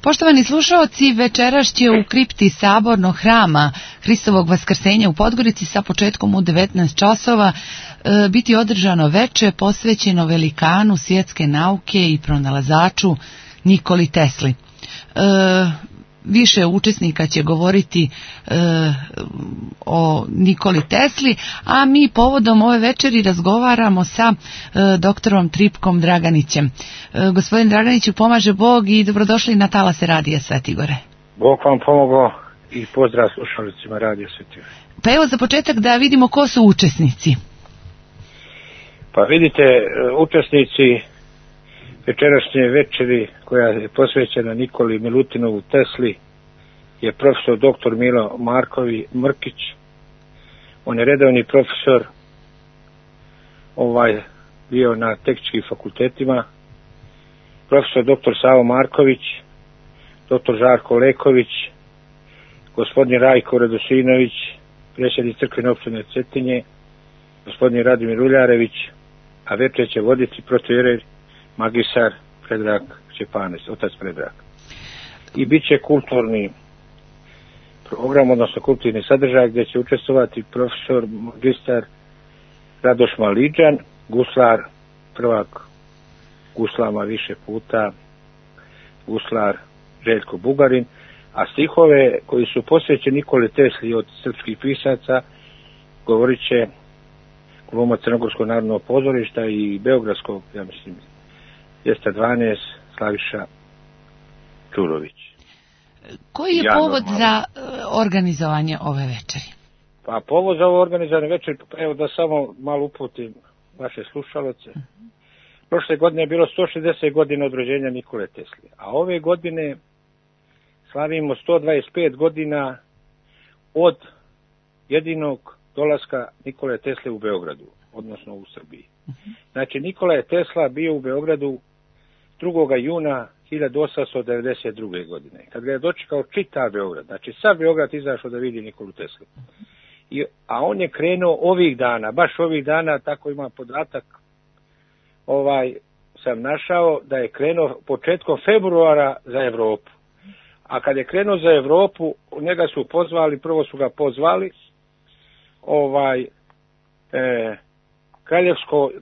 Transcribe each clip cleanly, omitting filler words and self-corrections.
Poštovani slušaoci, večeras će u kripti Sabornog hrama Hristovog vaskrsenja u Podgorici sa početkom u 19 časova biti održano veče posvećeno velikanu svjetske nauke i pronalazaču Nikoli Tesli. Više učesnika će govoriti o Nikoli Tesli, a mi povodom ove večeri razgovaramo sa doktorom Tripkom Draganićem. Gospodin Draganiću, pomaže Bog i dobrodošli na talase Radija Svetigore. Bog vam pomogao i pozdrav slušalicima Radija Svetigore. Pa evo za početak da vidimo ko su učesnici. Pa vidite, učesnici večerašnje večeri koja je posvećena Nikoli Milutinovu Tesli je profesor dr. Milo Mrkić. On je redovni profesor, bio na tehničkim fakultetima, profesor dr. Savo Marković, dr. Žarko Leković, gospodin Rajko Radosinović, predsjednik crkvene opštine Cetinje, gospodin Radimir Uljarević, a večer će voditi protoijerej magistar Predrag Šćepanec, otac Predrag. I bit će kulturni program, odnosno kulturni sadržaj gdje će učestvovati profesor magistar Radoš Maliđan, guslar, prvak guslama više puta, guslar Željko Bugarin, a stihove koji su posvećeni Nikoli Tesli od srpskih pisaca govorit će glumac Crnogorskog narodnog pozorišta i beogradskog, ja mislim, 212 Slaviša Čurović. Koji je povod za organizovanje ove večeri? Pa povod za ovo organizovanje večeri, evo da samo malo uputim vaše slušalce. Prošle godine je bilo 160 godina od rođenja Nikole Tesli, a ove godine slavimo 125 godina od jedinog dolaska Nikole Tesle u Beogradu, odnosno u Srbiji. Znači, Nikola je Tesla bio u Beogradu 2. juna 1892. godine. Kad ga je dočekao čitav Beograd, znači sav Beograd izašao da vidi Nikolu Teslu. A on je krenuo ovih dana, baš ovih dana, tako ima podatak, sam našao da je krenuo početkom februara za Evropu. A kad je krenuo za Evropu, njega su pozvali, prvo su ga pozvali,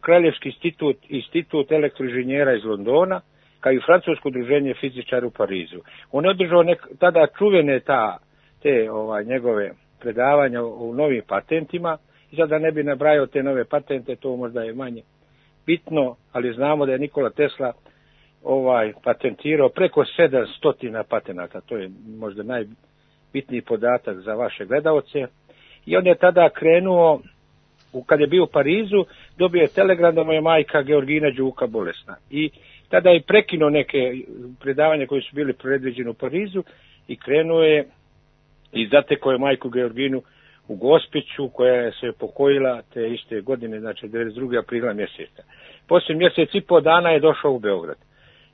Kraljevski institut elektroinženjera iz Londona, kao i francusko udruženje fizičara u Parizu. On je održao tada čuvene te njegove predavanja o novim patentima, i sada ne bi nabrajao te nove patente, to možda je manje bitno, ali znamo da je Nikola Tesla patentirao preko 700 patenata, to je možda najbitniji podatak za vaše gledaoce. I on je tada krenuo, kad je bio u Parizu, dobio je telegram da mu je majka Georgina Đuka bolesna. I tada je prekinuo neke predavanja koji su bili predviđeni u Parizu i krenuo je i zatekao je majku Georginu u Gospiću, koja je se pokojila te iste godine, znači 92. aprila mjeseca. Poslije mjesec i po dana je došao u Beograd.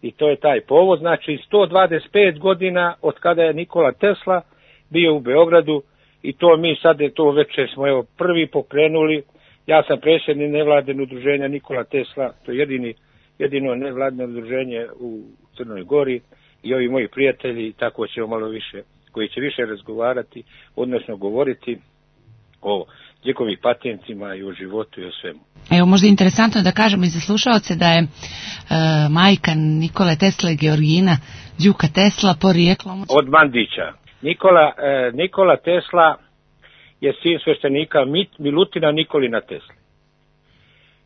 I to je taj povod, znači 125 godina od kada je Nikola Tesla bio u Beogradu. I to mi sad to večer smo prvi pokrenuli. Ja sam predsjednik nevladine udruženja Nikola Tesla, to je jedino nevladino udruženje u Crnoj Gori, i ovi moji prijatelji, tako ćemo malo više, koji će više razgovarati, odnosno govoriti o njegovim patentima i o životu i o svemu. Evo, možda je interesantno da kažemo i za slušaoce da je majka Nikole Tesle Georgina Đuka Tesla porijeklom od Mandića. Nikola Tesla je sin sveštenika Milutina Nikolina Tesle.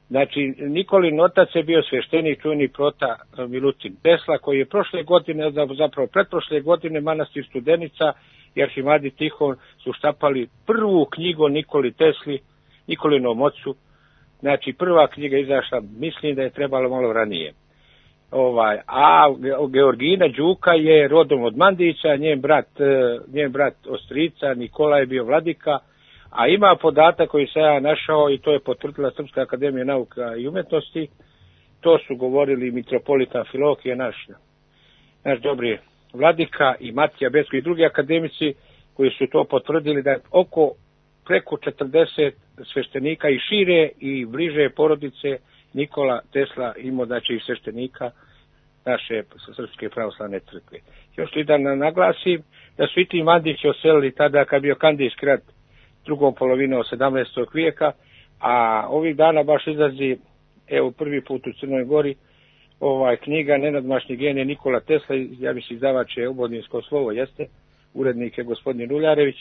Znači, Nikolin otac je bio sveštenik, čuveni prota Milutin Tesla, koji je prošle godine, zapravo pretprošle godine, manastir Studenica i Arhimandrit Tihon su štapali prvu knjigu o Nikoli Tesli, Nikolinom ocu. Znači, prva knjiga izašla, mislim da je trebalo malo ranije. A Georgina Đuka je rodom od Mandića, njen brat ostrica Nikola je bio vladika, a ima podatak koji sam ja našao i to je potvrdila Srpska akademija nauka i umjetnosti. To su govorili mitropolita Amfilohije, naš dobri vladika, i Matija Becko i drugi akademici koji su to potvrdili, da je preko 40 sveštenika i šire i bliže porodice Nikola Tesla imao, znači i sveštenika naše Srpske pravoslavne crkve. Još li da naglasim da su i ti Mandići oselili tada kad bio Kandijski rat drugom polovinom 17. vijeka, a ovih dana baš izlazi, evo prvi put u Crnoj Gori, knjiga Nenadmašni genije Nikola Tesla, ja mislim izdavač je Obodinsko slovo, jeste, urednik je gospodin Uljarević,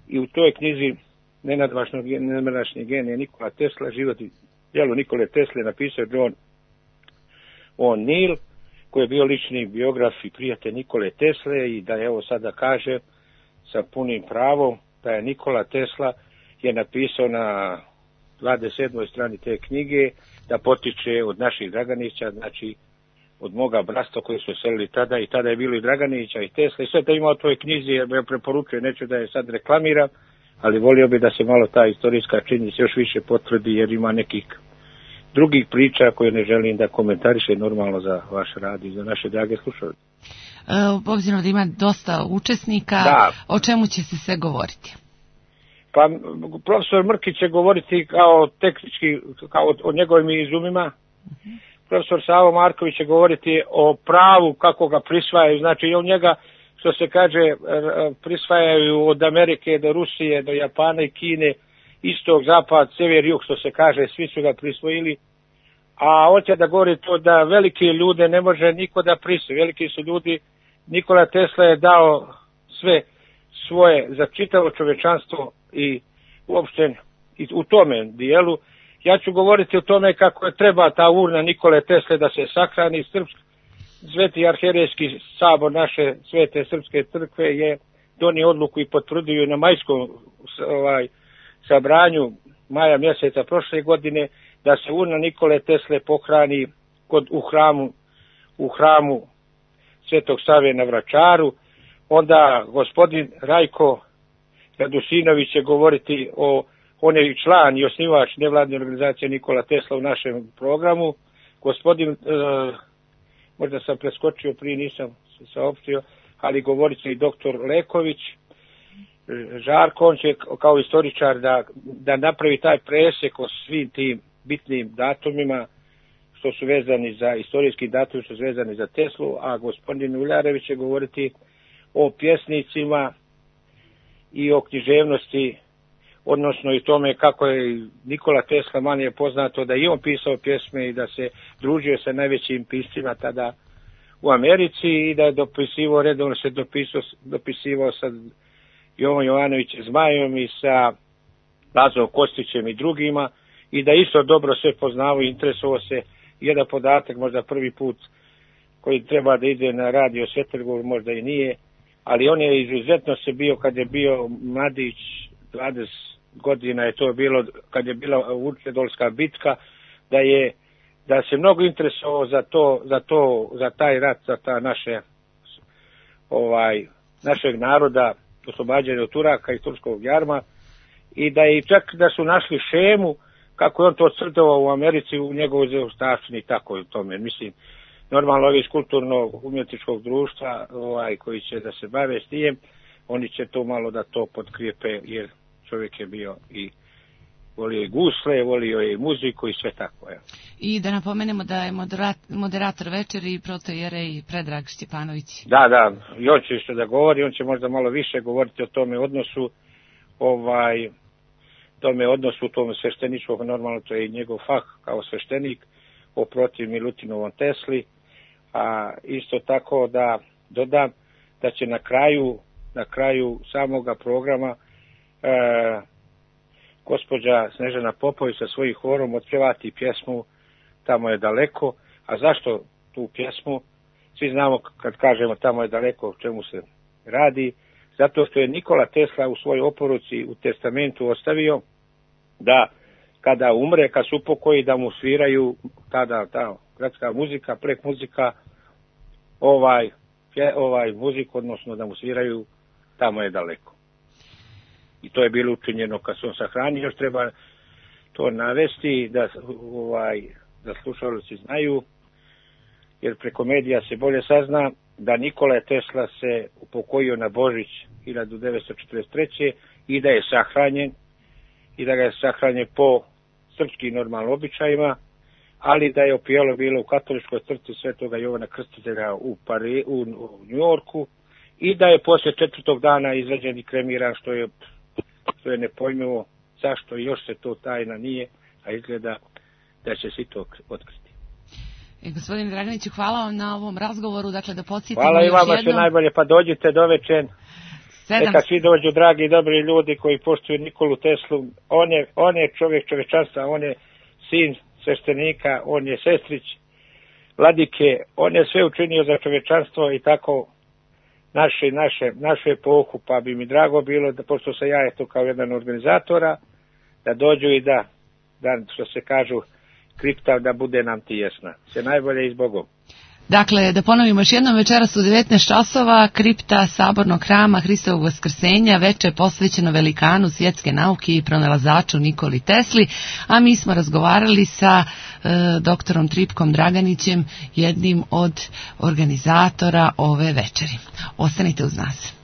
i u toj knjizi Nenadmašni genije Nikola Tesla, život i djelo Nikole Tesle, napisao John O'Neill, koji je bio lični biograf i prijatelj Nikole Tesle, i da evo sada kaže sa punim pravom da je Nikola Tesla je napisao na 27. strani te knjige da potiče od naših Draganića, znači od moga brasta koji su selili tada, i tada je bilo i Draganića i Tesla, i sve to ima u toj knjizi, ja preporučujem, neću da je sad reklamiram, ali volio bi da se malo ta istorijska činjenica još više potvrdi, jer ima nekih drugih priča koje ne želim da komentariše normalno za vaš rad i za naše drage slušalce. Obzirom da ima dosta učesnika, da. O čemu će se sve govoriti? Pa profesor Mrkić će govoriti kao tehnički, kao o njegovim izumima. Profesor Savo Marković će govoriti o pravu kako ga prisvajaju, znači on njega, što se kaže, prisvajaju od Amerike do Rusije, do Japana i Kine, istok, zapad, sever, jug, što se kaže, svi su ga prisvojili. A hoće da govori to da velike ljude ne može niko da prisvoji. Veliki su ljudi, Nikola Tesla je dao sve svoje za čitavo čovečanstvo i uopšte i u tome dijelu. Ja ću govoriti o tome kako je treba ta urna Nikole Tesle da se sahrani. Sveti arhijerejski sabor naše svete srpske crkve je donio odluku i potvrdio na majskom sabranju maja mjeseca prošle godine da se urna Nikole Tesle pohrani u hramu Svetog Save na Vračaru. Onda gospodin Rajko Radusinović će govoriti on je član i osnivač nevladne organizacije Nikola Tesla u našem programu. Gospodin, možda sam preskočio prije, nisam se saopštio, ali govorit će i doktor Leković, Žarko, on će kao istoričar da napravi taj presjek o svim tim bitnim datumima što su vezani za istorijski datum, što su vezani za Teslu, a gospodin Uljarević će govoriti o pjesnicima i o književnosti, odnosno i tome kako je Nikola Tesla, manje je poznato da i on pisao pjesme i da se družio sa najvećim piscima tada u Americi i da je dopisivao, redovno se dopisivao sa Jovom Jovanovićem Zmajom i sa Lazom Kostićem i drugima, i da isto dobro sve poznavao i interesovao se. Jedan podatak, možda prvi put koji treba da ide na radio Svetrgov, možda i nije, ali on je izuzetno se bio, kad je bio mladić, 20 godina je to bilo, kad je bila Vučedolska bitka, da se mnogo interesovao za taj rat, za ta našeg naroda, oslobađanje od Turaka i turskog jarma, i da je čak da su našli šemu kako je on to crtovao u Americi u njegovoj zaostavštini, tako i tome. Mislim, normalno ovi iz kulturno-umjetničkog društva koji će da se bave s tijem, oni će to malo da to potkrijepe, jer čovjek je bio i volio i gusle, volio je i muziku i sve tako. Ja. I da napomenemo da je moderator večeri protojerej Predrag Šćepanović. Da, i on će isto da govori, on će možda malo više govoriti o tome odnosu, u tom svešteničkog, normalno to je i njegov fah kao sveštenik, oprotiv Milutinovom Tesli, a isto tako da dodam da će na kraju samoga programa gospođa Snežana Popović sa svojim horom otpjevati pjesmu Tamo je daleko. A zašto tu pjesmu? Svi znamo kad kažemo Tamo je daleko o čemu se radi, zato što je Nikola Tesla u svojoj oporuci u testamentu ostavio da kada umre, kad se upokoji, da mu sviraju tada ta gradska muzika, prek muzika, muziku, odnosno da mu sviraju Tamo je daleko. I to je bilo učinjeno kad se on sahranio. Još treba to navesti da slušalci znaju, jer preko medija se bolje sazna da Nikola Tesla se upokojio na Božić 1943. i da je sahranjen, i da ga je sahranjen po srpskim normalnim običajima ali da je opijelo bilo u katoličkoj crkvi Svetoga Jovana Krstitelja u Njujorku i da je poslije 4. dana izvađen i kremiran, što je nepojmljivo zašto još se to tajna nije, a izgleda da će se to otkriti. Gospodine Draganiću, hvala vam na ovom razgovoru, dakle da podsjetimo hvala još jednom. Hvala i vama sve najbolje, pa dođite do večer. Neka svi dođu, dragi i dobri ljudi koji poštuju Nikolu Teslu. On je čovjek čovječanstva, on je sin sveštenika, on je sestrić vladike, on je sve učinio za čovječanstvo i tako našu epohu, pa bi mi drago bilo da, pošto sam ja eto kao jedan organizatora, da dođu i da što se kažu, kripta da bude nam tijesna. Sve najbolje i s Bogom. Dakle, da ponovimo još jednom, večeras u 19 časova, kripta Sabornog hrama Hristovog vaskrsenja, veče posvećeno velikanu svjetske nauke i pronalazaču Nikoli Tesli, a mi smo razgovarali sa doktorom Tripkom Draganićem, jednim od organizatora ove večeri. Ostanite uz nas.